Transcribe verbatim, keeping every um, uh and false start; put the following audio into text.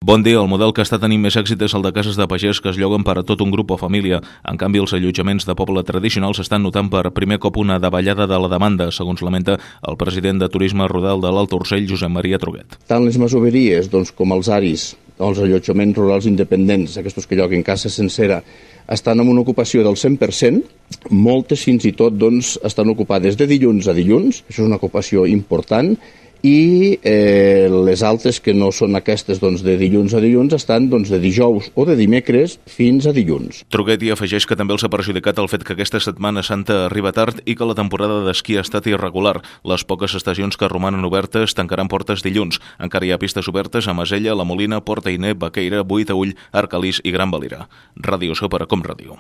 Bon dia, el model que està tenint més èxit és el de cases de pagès que es lloguen per a tot un grup o família. En canvi, els allotjaments de poble tradicionals estan notant per primer cop una davallada de la demanda, segons lamenta el president de Turisme Rural de l'Alt Urgell, Josep Maria Truguet. Tant les masoveries doncs, com els aris, els allotjaments rurals independents, aquests que lloguen casa sencera, estan en una ocupació del cent per cent, moltes fins i tot doncs, estan ocupades de dilluns a dilluns, això és una ocupació important, i eh, les altres que no són aquestes doncs, de dilluns a dilluns estan doncs, de dijous o de dimecres fins a dilluns. Truguet hi afegeix que també els ha perjudicat el fet que aquesta Setmana Santa arriba tard i que la temporada d'esquí ha estat irregular. Les poques estacions que romanen obertes tancaran portes dilluns. Encara hi ha pistes obertes a Masella, La Molina, Port Ainé, Baqueira, Boí Taüll, Arcalís i Gran Valira. Ràdio Sopar com ràdio.